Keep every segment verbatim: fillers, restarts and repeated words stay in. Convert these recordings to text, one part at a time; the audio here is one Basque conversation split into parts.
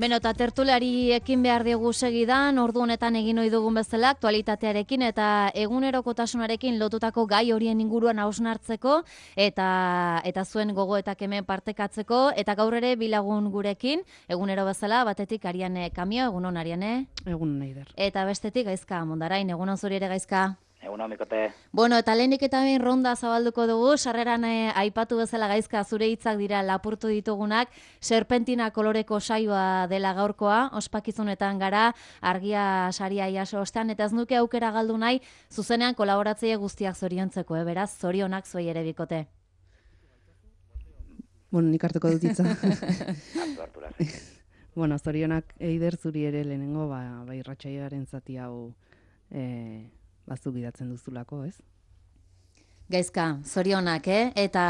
Beno, eta tertuliari ekin behar diegu segidan, ordu honetan egin ohi dugun bezala, aktualitatearekin eta egunerokotasunarekin lotutako gai horien inguruan hausnartzeko eta eta zuen gogoetak hemen partekatzeko, eta gaur ere bilagun gurekin, egunero bezala, batetik Ariane Kamio, egunon Ariane. Egun Neider. Eta bestetik Gaizka Mondarain, egunon zuri ere Gaizka. Egunon, Mikote. Bueno, eta lehenik eta behin ronda zabalduko dugu, sarreran eh, aipatu bezala Gaizka, zure hitzak dira lapurtu ditugunak, serpentina koloreko saioa dela gaurkoa, ospakizunetan gara, argia saria jaso ostean, eta ez nuke aukera galdu nahi, zuzenean kolaboratzaile guztiak zoriontzeko, eh, beraz, zorionak zuei ere Bikote. Bueno, nik hartuko dut hitza. Hartu, hartu, lazi. Bueno, zorionak Eider zuri ere lehenengo, ba, ba irratsaioaren zati hau eh, bazuk gidatzen duzulako, ez? Gaizka, zorionak, eh? Eta,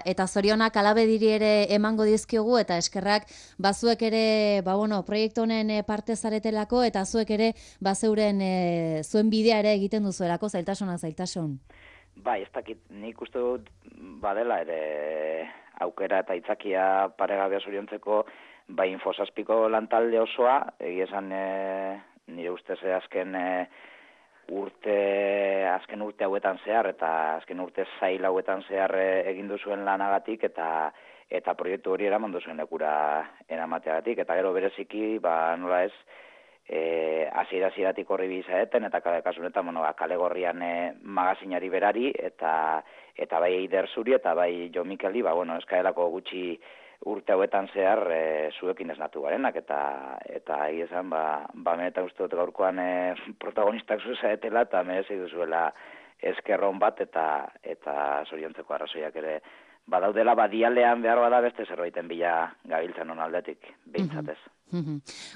eta zorionak alabediri ere emango dizkiogu, eta eskerrak bazuek ere, ba bueno, proiektu honen parte zaretelako, eta zuek ere bazeuren e, zuen bidea ere egiten duzuelako, zailtasuna zailtasun. Bai, ez dakit, nik uste dut badela ere aukera eta itzakia paregabea zoriontzeko, bai Infosazpiko lantalde osoa, egia esan e, nire ustez azken e, urte, azken urte hauetan zehar, eta azken urte zail hauetan zehar egin duzuen lanagatik, eta eta proiektu hori eraman duzuen lekura eramateagatik, eta gero bereziki, ba, nola ez, e, hasiera-hasieratik horri bizaeten, eta kasunetan, bueno, kale gorrian e, magazinari berari, eta eta bai Eider zuri, eta bai Jo Mikeli, ba, bueno, eskaelako gutxi urte hauetan zehar e, zuekin esnatu garenak, eta eta egizan, ba, ba menetan uste dut gaurkoan e, protagonistak zuzaetela, eta merezi duzuela eskerron bat, eta eta zoriontzeko arrazoiak ere badaudela, badialean behar bada beste zerbaiten bila gabiltzen on aldetik, behintzatez.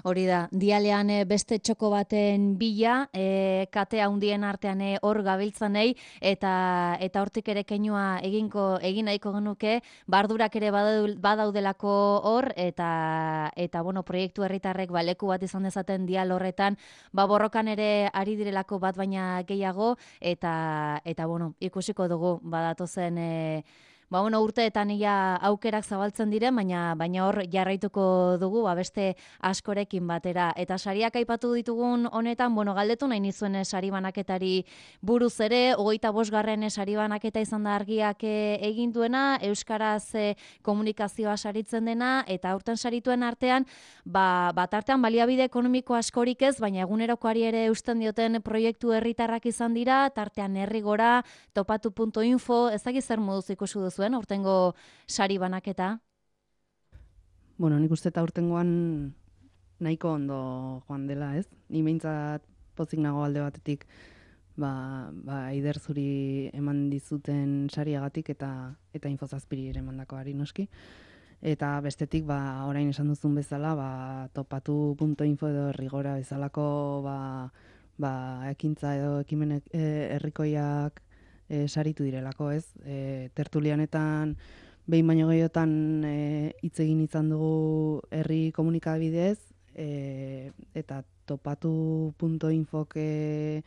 Hori da, dialean beste txoko baten bila, e, kate handien artean hor gabiltzanei, eta eta hortik ere keinua eginko egin nahiko genuke, bardurak ere badaudelako hor, eta eta bueno, proiektu herritarrek ba, leku bat izan dezaten dial horretan, ba borrokan ere ari direlako bat baina gehiago, eta eta bueno, ikusiko dugu badatozen e, Ba, bueno, urteetan ia aukerak zabaltzen diren, baina baina hor jarraituko dugu, ba, beste askorekin batera. Eta sariak aipatu ditugun honetan, bueno, galdetu nahi nizuen sari banaketari buruz ere, hogeita bosgarren sari banaketa izan da argiak egin duena, euskaraz komunikazioa saritzen dena, eta aurten sarituen artean, ba, bat artean baliabide ekonomiko askorik ez, baina egunerokoari ere eusten dioten proiektu herritarrak izan dira, tartean herrigora, topatu puntu info, ezagik zer moduz ikusi duzu zuen, aurtengo sari banaketa? Bueno, nik uste eta aurtengoan nahiko ondo joan dela, ez? Ni behintzat pozik nago alde batetik ba, ba Eider zuri eman dizuten sariagatik eta eta Infosazpiri ere emandakoari noski. Eta bestetik, ba, orain esan duzun bezala, ba, topatu puntu info edo herrigora bezalako ba, ba, ekintza edo ekimen herrikoiak E, saritu direlako, ez? E, tertulianetan behin baino gehiotan hitz e, egin izan dugu herri komunikabidez, e, eta topatu puntu infok e,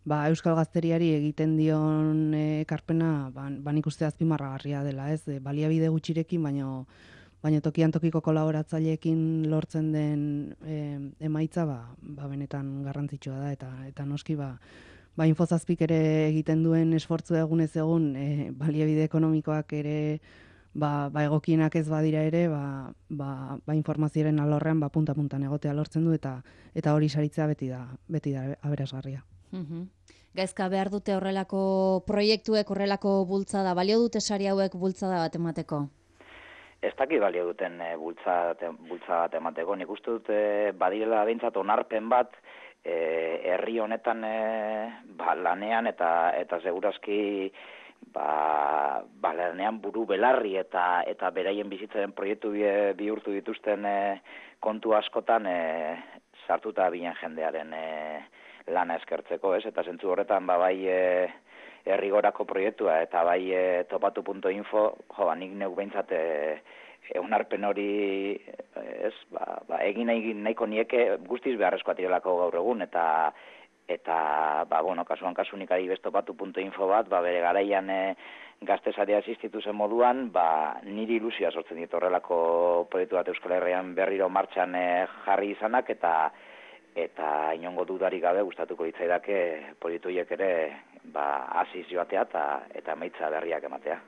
ba, Euskal Gazteriari egiten dion ekarpena, ba, ba nik uste azpimarragarria dela, ez? E, baliabide gutxirekin, baino baina tokian tokiko kolaboratzaileekin lortzen den e, emaitza, ba, ba benetan garrantzitsua da, eta eta noski ba Ba, Infosazpik ere egiten duen esfortzu egunez egun, e, baliabide ekonomikoak ere ba, ba egokienak ez badira ere, ba, ba, ba informazioaren alorrean ba, punta-puntan egotea lortzen du, eta eta hori saritzea beti da, beti da aberasgarria. Mm-hmm. Gaizka behar dute horrelako proiektuek, horrelako bultzada, balio dute sari hauek bultzada bat emateko? Ez dakit balio duten e, bultzada, bultzada bat emateko, nik uste dute badirela behintzat onarpen bat, E, herri honetan e, ba, lanean eta eta segurazki ba, ba lanean buru belarri eta eta beraien bizitzaren proiektu bi, bihurtu dituzten e, kontu askotan e, sartuta bilen jendearen e, lana eskertzeko, ez? Eta zentzu horretan ba, bai e, herrigorako proiektua eta bai e, topatu puntu info, jo, nik neuk behintzat e, eunarpen hori ez, ba, ba, egin nahi, nahiko nieke guztiz beharrezkoa direlako gaur egun, eta eta, ba, bueno, kasuan kasunik adibestopatu punto info bat, ba, bere garaian e, gaztesaria asistitu zen moduan, ba, niri ilusioa sortzen dit horrelako proiektu bat Euskal Herrian berriro martxan e, jarri izanak, eta eta inongo dudarik gabe gustatuko hitzaidake proiektu horiek ere ba hasiz joatea eta eta emaitza berriak ematea.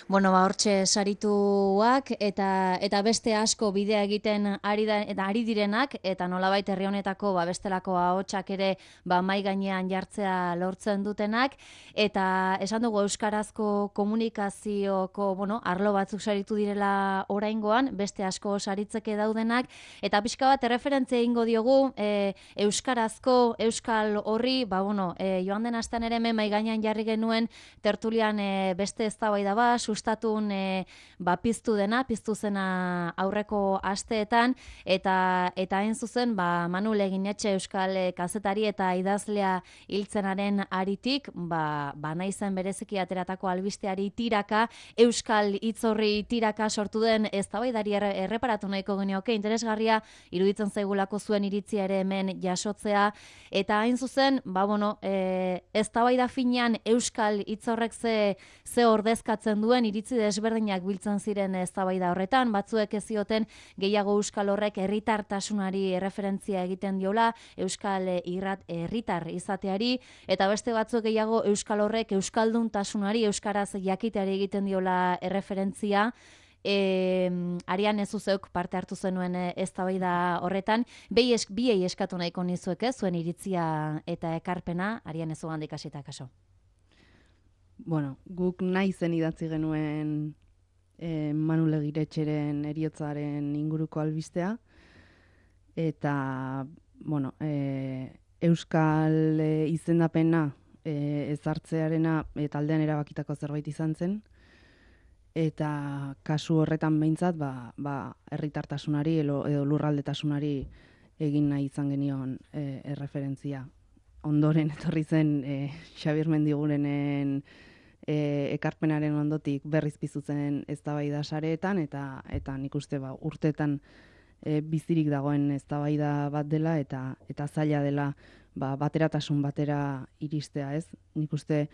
Bueno, ba hortxe sarituak eta eta beste asko bidea egiten ari da eta ari direnak eta nolabait herri honetako ba bestelako ahotsak ere ba mai gainean jartzea lortzen dutenak eta esan dugu euskarazko komunikazioko, bueno, arlo batzuk saritu direla oraingoan, beste asko saritzeke daudenak eta pixka bat erreferentzia egingo diogu e, euskarazko euskal horri, ba bueno, e, joan den astean ere hemen mai gainean jarri genuen tertulian e, beste eztabaida ba, sustatun e, ba, piztu dena, piztu zena aurreko asteetan, eta eta hain zuzen, ba, Manu Leginetxe euskal e, kazetari eta idazlea hiltzenaren aritik, ba, ba naizen bereziki ateratako albisteari tiraka, euskal hitzorri tiraka sortu den eztabaidari erre, erreparatu nahiko genioke, interesgarria iruditzen zaigulako zuen iritzia ere hemen jasotzea, eta hain zuzen, ba, bueno, e, eztabaida finean euskal hitzorrek ze, ze ordezkatzen duen iritzi desberdinak biltzen ziren eztabaida horretan, batzuek ez zioten gehiago euskal horrek herritartasunari erreferentzia egiten diola, euskal irrat herritar izateari, eta beste batzuk gehiago euskal horrek euskalduntasunari, euskaraz jakiteari egiten diola erreferentzia. E, Arian ez zuzeuk parte hartu zenuen eztabaida horretan, bi es, biei eskatu nahiko nizuek ez, zuen iritzia eta ekarpena, Arian ez ugandik hasita kaso. Bueno, guk nahi zen idatzi genuen e, Manu Legiretxeren heriotzaren inguruko albistea, eta, bueno, e, euskal e, izendapena e, ezartzearena e, taldean erabakitako zerbait izan zen, eta kasu horretan behintzat, ba, ba, herritartasunari edo, edo lurraldetasunari egin nahi izan genion e, erreferentzia. Ondoren etorri zen e, Xabier Mendigurenen e, ekarpenaren ondotik berriz piztu zen eztabaida sareetan, eta eta nik uste ba, urteetan e, bizirik dagoen eztabaida bat dela, eta eta zaila dela ba, bateratasun batera iristea, ez? Nik uste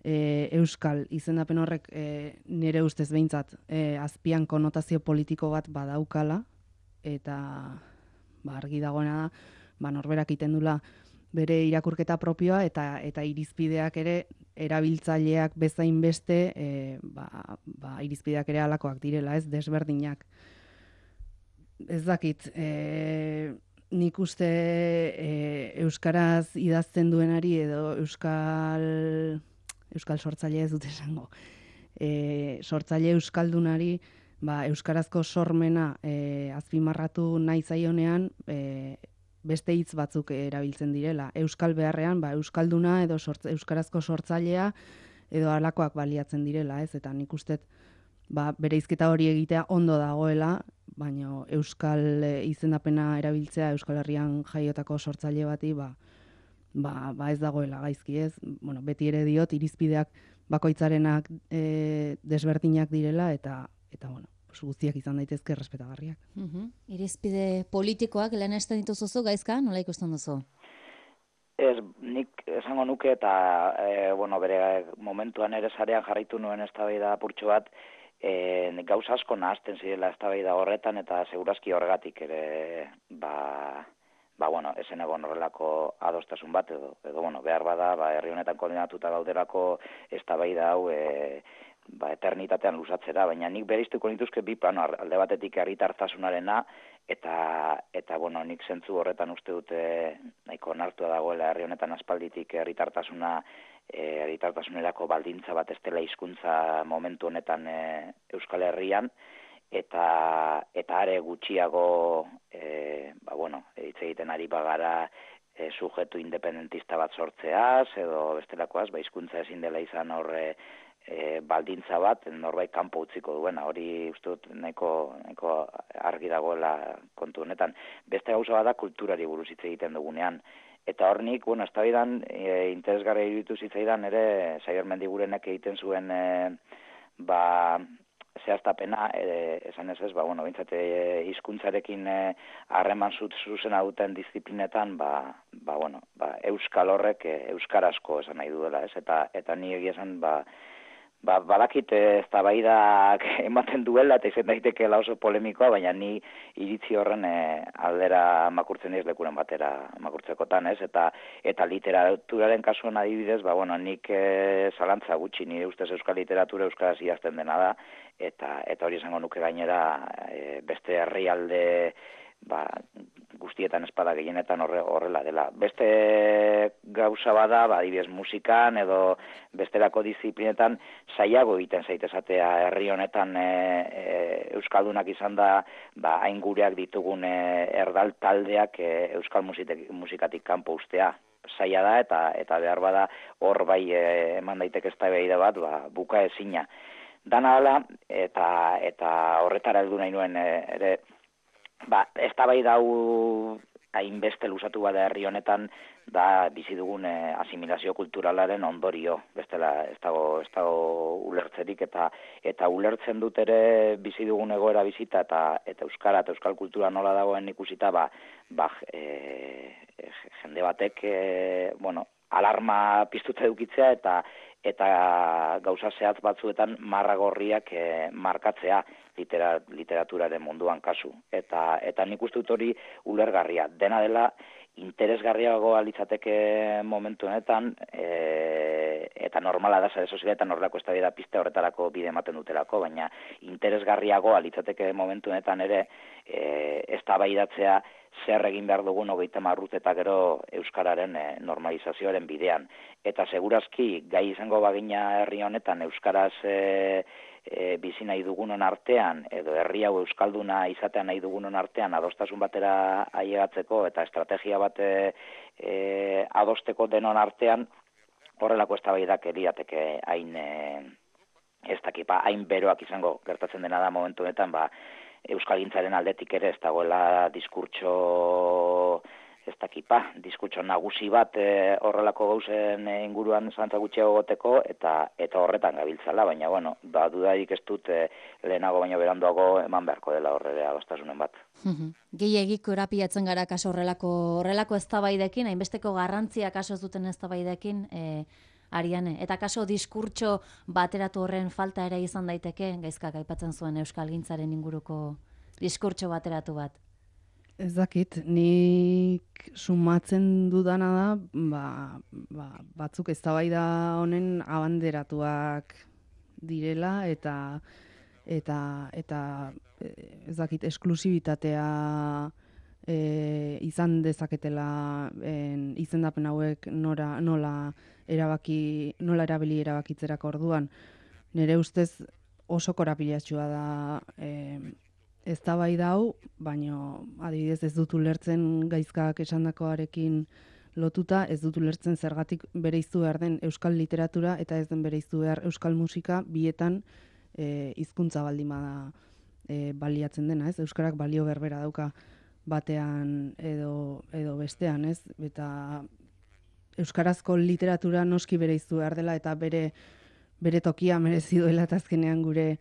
E, euskal izendapen horrek e, nire ustez behintzat e, azpian konotazio politiko bat badaukala, eta ba, argi dagoena da, ba, norberak iten dula bere irakurketa propioa, eta eta irizpideak ere erabiltzaileak bezain beste e, ba, ba, irizpideak ere halakoak direla, ez desberdinak. Ez dakit, e, nik uste e, euskaraz idazten duenari edo euskal euskal sortzaile ez dut esango. E, sortzaile euskaldunari ba, euskarazko sormena e, azpimarratu nahi zaionean e, beste hitz batzuk erabiltzen direla. Euskal beharrean ba, euskalduna edo sortz, euskarazko sortzailea edo halakoak baliatzen direla, ez? Eta nik uste ba, bereizketa hori egitea ondo dagoela, baina euskal e, izendapena erabiltzea Euskal Herrian jaiotako sortzaile bati ba, Ba, ba ez dagoela gaizki, ez? Bueno, beti ere diot, irizpideak bakoitzarenak e, desberdinak direla, eta, eta bueno, guztiak izan daitezke errespetagarriak. Uh-huh. Irizpide politikoak lehenesten dituzuzu, Gaizka, nola ikusten duzu? Ez, nik esango nuke, eta e, bueno, bere momentuan ere sarean jarraitu nuen eztabaida apurtxo bat, e, gauza asko nahazten zirela eztabaida horretan, eta segurazki horregatik ere, ba... ba, bueno, esen egon horrelako adostasun bat, edo, edo bueno, behar bada, ba, herri honetan koordinatuta gauderako eztabaida hau e, ba, eternitatean luzatzera, baina nik bereiztuko nituzke bi plano, alde batetik herritartasunarena, eta, eta bueno, nik zentzu horretan uste dute nahiko onartua dagoela herri honetan aspalditik herritartasuna, e, herritartasunerako baldintza bat ez dela hizkuntza momentu honetan e, Euskal Herrian, eta eta are gutxiago e, ba bueno, hitz egiten ari bagara e, sujetu independentista bat sortzeaz edo bestelakoaz, ba hizkuntza ezin dela izan horre e, baldintza bat norbait kanpo utziko duena, hori uste dut nahiko, nahiko argi dagoela kontu honetan. Beste gauza bada kulturari buruz hitz egiten dugunean. Eta hor nik, bueno, eztabaidan e, interesgarria iruditu zitzaidan ere Xabier Mendigurenek egiten zuen e, ba zehaztapena, e, esan ez ez, ba, bueno, bintzat, e, hizkuntzarekin harreman e, zuzena duten disiplinetan, ba, ba, bueno, ba, euskal horrek e, euskarazko esan nahi duela, ez, eta, eta ni egia esan, ba, Ba, badakit eztabaidak ematen duela eta izan daitekeela oso polemikoa, baina ni iritzi horren e, aldera makurtzen ez lekuren batera makurtzekotan, ez? Eta eta literaturaren kasuan adibidez, ba bueno, nik e, zalantza gutxi, nire ustez euskal literatura euskaraz idazten dena da, eta eta hori esango nuke gainera e, beste herrialde ba, guztietan espada gehienetan horre, horrela dela. Beste gauza bada, ba, adibidez musikan edo bestelako disiplinetan saiago egiten zaitezatea herri honetan e, e, euskaldunak izan da ba, hain gureak ditugun e, erdal taldeak e, euskal musitek, musikatik kanpo ustea. Saia da eta eta behar bada hor bai e, eman daiteke eztabaida bat ba, buka ezina. Dana hala eta, eta horretara heldu nahi nuen e, ere Ba, eztabaida hau hainbeste luzatu bada herri honetan da bizi dugun e, asimilazio kulturalaren ondorio, bestela ez dago ez dago ulertzerik eta eta ulertzen dut ere bizi dugun egoera bizita eta eta euskara eta euskal kultura nola dagoen ikusita ba, ba e, jende batek e, bueno, alarma piztuta edukitzea eta eta gauza zehatz batzuetan marra gorriak e, markatzea litera, literaturaren munduan kasu. Eta eta nik uste dut hori ulergarria. Dena dela interesgarriagoa litzateke momentu honetan e, eta normala da sare sozialetan horrelako eztabaida piste horretarako bide ematen dutelako, baina interesgarriagoa litzateke momentu honetan ere e, eztabaidatzea zer egin behar dugun hogeita hamar urte eta gero euskararen e, normalizazioaren bidean. Eta segurazki gai izango bagina herri honetan euskaraz e, e, bizi nahi dugunon artean edo herri hau euskalduna izatea nahi dugunon artean adostasun batera ailegatzeko eta estrategia bat e, e, adosteko denon artean horrelako eztabaidak lirateke hain e, ez dakipa hain beroak izango gertatzen dena da momentu honetan ba euskalgintzaren aldetik ere ez dagoela diskurtso ez dakipa, diskurtso nagusi bat e, horrelako gauzen inguruan zantza gutxiago goteko eta eta horretan gabiltzala, baina bueno, da dudarik ez dut e, lehenago baino beranduago eman beharko dela horrere adostasunen bat. Gehiagiko erapiatzen gara kaso horrelako horrelako eztabaidekin, hainbesteko garrantzia kaso ez duten eztabaidekin, e, Ariane, eta kaso diskurtso bateratu horren falta ere izan daiteke, gaizkak aipatzen zuen euskalgintzaren inguruko diskurtso bateratu bat. Ez dakit, nik sumatzen dudana da, ba, ba, batzuk eztabaida honen abanderatuak direla eta eta eta ez dakit esklusibitatea e, izan dezaketela en, izendapen hauek nora nola erabaki nola erabili erabakitzerako orduan. Nire ustez oso korapilatsua da eh eztabaida hau, baino adibidez ez dut ulertzen gaizkak esandakoarekin lotuta, ez dut ulertzen zergatik bereiztu behar den euskal literatura eta ez den bereiztu behar euskal musika bietan eh hizkuntza baldin bada e, baliatzen dena, ez? Euskarak balio berbera dauka batean edo edo bestean, ez? Eta euskarazko literatura noski bereiztu behar dela eta bere bere tokia merezi duela eta azkenean gure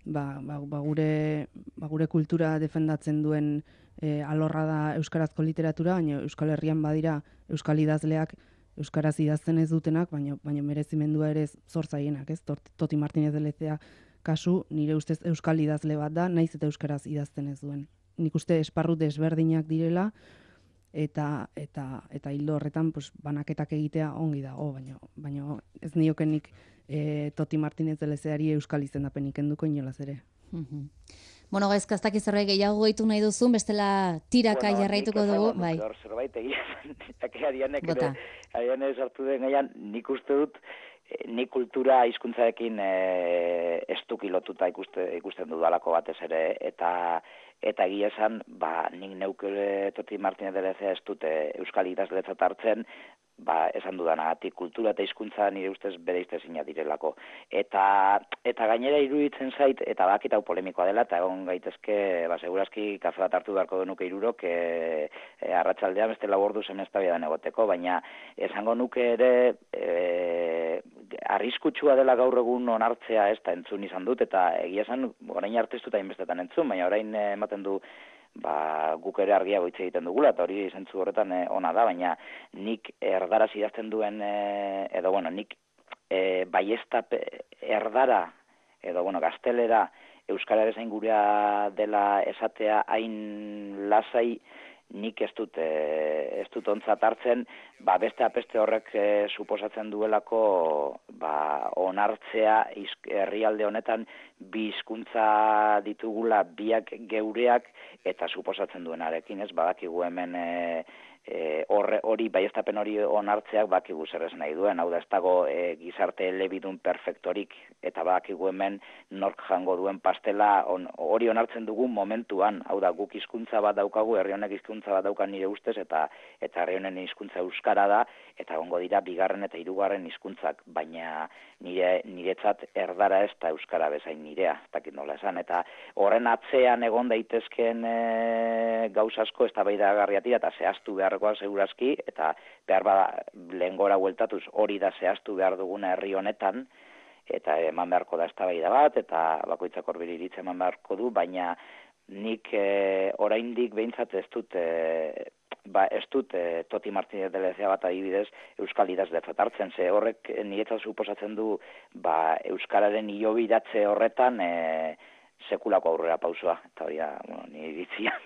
ba, ba, ba, gure, ba, gure kultura defendatzen duen e, alorra da euskarazko literatura, baina Euskal Herrian badira euskal idazleak euskaraz idazten ez dutenak, baina baina merezimendua ere zor zaienak, ez? Toti Martinez de Lezea kasu nire ustez euskal idazle bat da, naiz eta euskaraz idazten ez duen. Nik uste esparru desberdinak direla eta eta eta hildo horretan pues banaketak egitea ongi dago, baina baina ez niokenik e, Toti Martinez de Lezeari euskal izendapenik kenduko inolaz ere. Mm-hmm. Bueno, gaizka ez dakiz zerbait gehiago gehitu nahi duzun, bestela tiraka bueno, jarraituko dugu, bai. Hor zerbait egia, arianek ere, arianek sartu den gaian, nik uste dut, nik kultura hizkuntzarekin e, estuki lotuta ikuste, ikusten dudalako batez ere, eta eta egia esan, ba, nik neukele Toti Martinez de Lezea ez dute euskal idazletzat hartzen, ba, esan dudanagatik, kultura eta hizkuntza nire ustez bere iztezina direlako. Eta, eta gainera iruditzen zait, eta bakit hau polemikoa dela, eta egon gaitezke, ba, segurazki kafe bat hartu beharko genuke hirurok, e, e, arratsaldean beste lau ordu zen eztabaidan egoteko, baina esango nuke ere, e, arriskutsua dela gaur egun onartzea ez da entzun izan dut, eta egia esan, orain arte ez dut hainbestetan entzun, baina orain ematen du ba, guk ere argiago hitz egiten dugula, eta hori zentzu horretan eh, ona da, baina nik erdaraz idazten duen, eh, edo bueno, nik eh, baiestap erdara, edo bueno, gaztelera, euskararen zain gurea dela esatea hain lasai, nik ez dut, e, ez dut ontzat hartzen, ba, beste apeste horrek e, suposatzen duelako ba, onartzea herrialde honetan bi hizkuntza ditugula biak geureak eta suposatzen duenarekin, ez badakigu hemen e, e, horre, hori baiestapen hori onartzeak bakigu zer ez nahi duen, hau da ez dago e, gizarte elebidun perfektorik eta badakigu hemen nork jango duen pastela on, hori onartzen dugun momentuan, hau da guk hizkuntza bat daukagu, herri honek hizkuntza bat dauka nire ustez eta eta herri honen hizkuntza euskara da eta egongo dira bigarren eta hirugarren hizkuntzak, baina nire niretzat erdara ez da euskara bezain nirea, ez dakit nola esan, eta horren atzean egon daitezkeen e, gauza asko eztabaidagarriak eta zehaztu beharrekoa segurazki, eta behar bada lehengora bueltatuz hori da zehaztu behar duguna herri honetan, eta eman beharko da eztabaida bat, eta bakoitzak horbiri iritze eman beharko du, baina nik e, oraindik behintzat ez dut, e, ba, ez dut e, Toti Martínez de Lezea bat adibidez euskal idazletzat hartzen, ze horrek niretzat suposatzen du ba, euskararen hilobiratze horretan e, sekulako aurrera pausua, eta hori da, bueno, nire iritzia.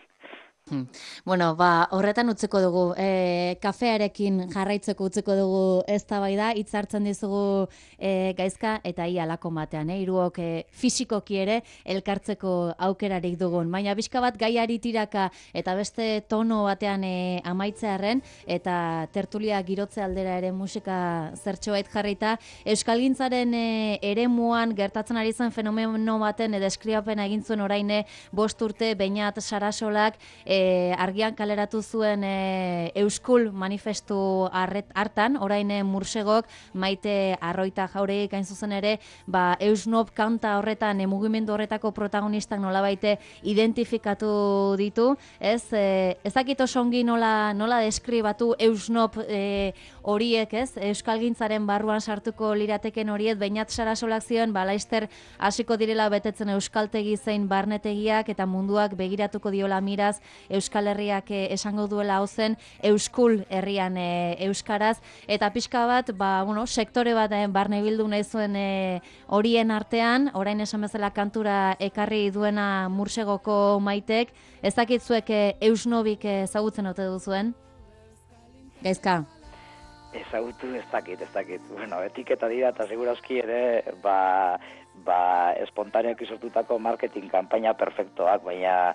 Hmm. Bueno, ba, horretan utzeko dugu, e, kafearekin jarraitzeko utzeko dugu eztabaida, hitz hartzen dizugu e, Gaizka, eta ia lako batean, eh? Hiruok e, fisikoki ere elkartzeko aukerarik dugun. Baina bizka bat gaiari tiraka eta beste tono batean e, amaitzearren, eta tertulia girotze aldera ere musika zertxobait jarrita, euskalgintzaren e, eremuan gertatzen ari zen fenomeno baten e, deskriapena egin zuen oraine bost urte Beñat Sarasolak, E, argian kaleratu zuen e, Euskul manifestu arret, hartan, orain e, Mursegok Maite Arroita Jauregik hain zuzen ere, ba, Eusnop kanta horretan, e, mugimendu horretako protagonistak nolabaite identifikatu ditu, ez? E, ezakit oso ongi nola, nola deskribatu Eusnop e, horiek, ez? Euskalgintzaren barruan sartuko lirateken horiek, Beñat Sarasolak zioen, ba, laizter hasiko direla betetzen euskaltegi zein barnetegiak eta munduak begiratuko diola miraz Euskal Herriak e, esango duela hau zen Euskul herrian e, euskaraz, eta pixka bat, ba, bueno, sektore bat e, barne bildu nahi zuen e, horien artean, orain esan bezala kantura ekarri duena Mursegoko Maitek, ez dakitzuek e, Eusnobik ezagutzen ote duzuen? Gaizka? Ezagutu ez dakit, ez dakit. Bueno, etiketa dira eta segurazki ere, ba, ba, espontaneak izortutako marketing kanpaina perfektoak, baina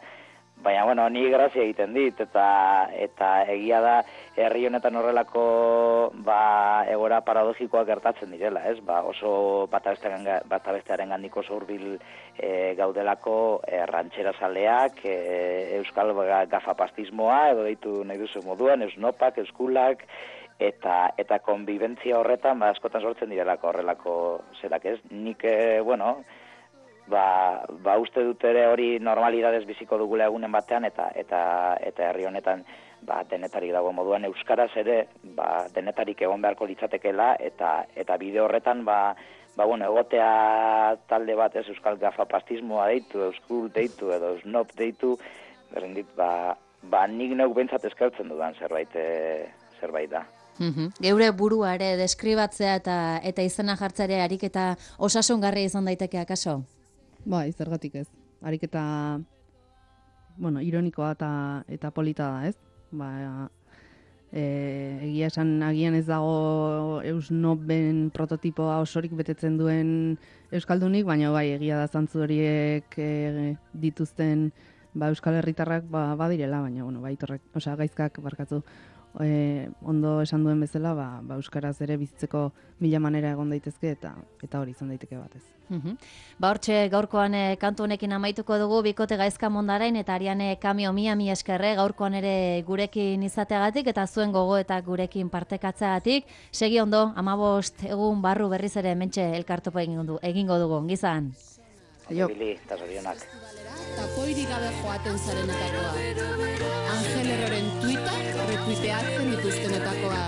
Baina, bueno, ni grazia egiten dit, eta eta egia da herri honetan horrelako ba, egora paradogikoak gertatzen direla, ez? Ba, oso bata bestearen gandik oso hurbil e, gaudelako e, rantxera zaleak, e, euskal gafapastismoa, edo deitu nahi duzu moduan, eusnopak, euskulak, eta eta konbibentzia horretan ba, askotan sortzen direlako horrelako zerak, ez? Nik, e, bueno... Ba, ba uste dut ere hori normalidadez biziko dugula egunen batean eta eta eta herri honetan ba denetarik dago moduan euskaraz ere ba denetarik egon beharko litzatekeela eta eta bide horretan ba ba bueno egotea talde bat ez euskal gafapastismoa deitu, euskul deitu edo snob deitu, berrendit ba ba nik neuk behintzat eskertzen dudan zerbait e, zerbait da. Uhum. Geure burua ere deskribatzea eta eta izena jartzea ariketa osasungarria izan daiteke akaso? Bai, zergatik ez. Ariketa, bueno, ironikoa eta, eta polita da, ez? Ba, e, egia esan agian ez dago Eusnoben prototipoa osorik betetzen duen euskaldunik, baina bai, egia da zantzu horiek e, dituzten ba, euskal herritarrak ba, badirela, baina bueno, bai, torrek, osea, Gaizkak barkatu. E, ondo esan duen bezala, ba, ba, euskaraz ere bizitzeko mila manera egon daitezke eta eta hori izan daiteke batez. Uhum. Ba hortxe gaurkoan e, kantu honekin amaituko dugu bikote Gaizka Mondarain eta Ariane Kamio mia mi eskerre gaurkoan ere gurekin izateagatik eta zuen gogoetak gurekin partekatzeagatik. Segi ondo, hamabost egun barru berriz ere hementxe elkartopo egingo, egingo dugu, gizan. Aio. Eta zorionak. Tapoirik gabe joaten zarenetakoa. Angel Herreren tuita retuiteatzen dituztenetakoa.